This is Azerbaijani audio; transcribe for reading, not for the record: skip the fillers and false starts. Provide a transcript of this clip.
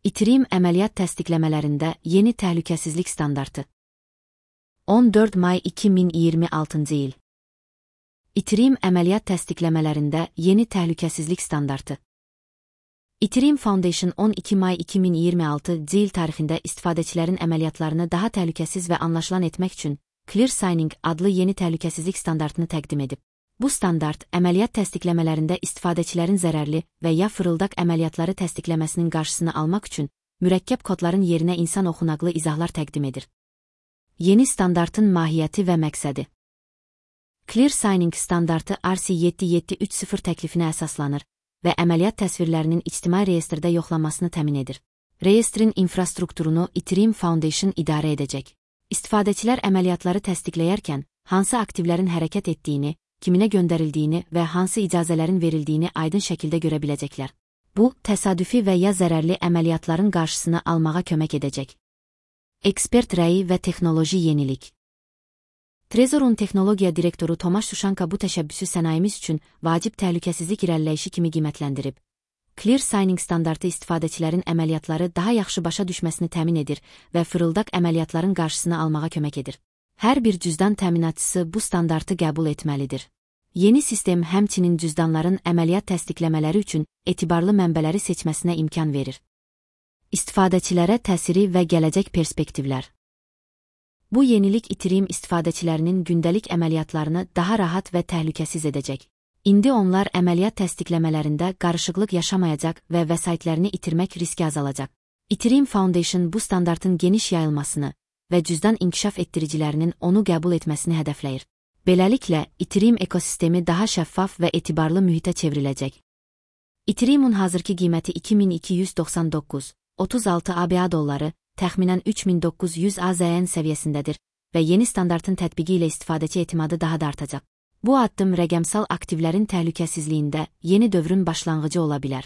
İTRIM əməliyyat təsdiqləmələrində yeni təhlükəsizlik standartı. 14 may 2026 il. İTRIM əməliyyat təsdiqləmələrində yeni təhlükəsizlik standartı. İTRIM Foundation 12 may 2026 il tarixində istifadəçilərin əməliyyatlarını daha təhlükəsiz və anlaşılan etmək üçün ClearSigning adlı yeni təhlükəsizlik standartını təqdim edib. Bu standart, əməliyyat təsdiqləmələrində istifadəçilərin zərərli və ya fırıldaq əməliyyatları təsdiqləməsinin qarşısını almaq üçün mürəkkəb kodların yerinə insan oxunaqlı izahlar təqdim edir. Yeni standartın mahiyyəti və məqsədi. ClearSigning standartı RC7730 təklifinə əsaslanır və əməliyyat təsvirlərinin ictimai reyestrdə yoxlanmasını təmin edir. Reyestrin infrastrukturunu İTRIM Foundation idarə edəcək. İstifadəçilər əməliyyatları təsdiqləyərkən hansı aktivlərin hərəkət etdiyini, kiminə göndərildiyini və hansı icazələrin verildiyini aydın şəkildə görə biləcəklər. Bu, təsadüfi və ya zərərli əməliyyatların qarşısını almağa kömək edəcək. Ekspert rəyi və texnoloji yenilik. Trezorun texnologiya direktoru Tomasz Sushanka bu təşəbbüsü sənayemiz üçün vacib təhlükəsizlik irəliləyişi kimi qiymətləndirib. ClearSigning standartı istifadəçilərin əməliyyatları daha yaxşı başa düşməsini təmin edir və fırıldaq əməliyyatların qarşısını almağa kömək edir. Hər bir cüzdan təminatçısı bu standartı qəbul etməlidir. Yeni sistem həmçinin cüzdanların əməliyyat təsdiqləmələri üçün etibarlı mənbələri seçməsinə imkan verir. İstifadəçilərə təsiri və gələcək perspektivlər. Bu yenilik İTRIM istifadəçilərinin gündəlik əməliyyatlarını daha rahat və təhlükəsiz edəcək. İndi onlar əməliyyat təsdiqləmələrində qarışıqlıq yaşamayacaq və vəsaitlərini itirmək riski azalacaq. İTRIM Foundation bu standartın geniş yayılmasını və cüzdan inkişaf etdiricilərinin onu qəbul etməsini hədəfləyir. Beləliklə, İTRIM ekosistemi daha şəffaf və etibarlı mühitə çevriləcək. İTRIM'un hazırki qiyməti 2299,36 ABA dolları, təxminən 3900 AZN səviyyəsindədir və yeni standartın tətbiqi ilə istifadəçi etimadı daha da artacaq. Bu addım rəqəmsal aktivlərin təhlükəsizliyində yeni dövrün başlanğıcı ola bilər.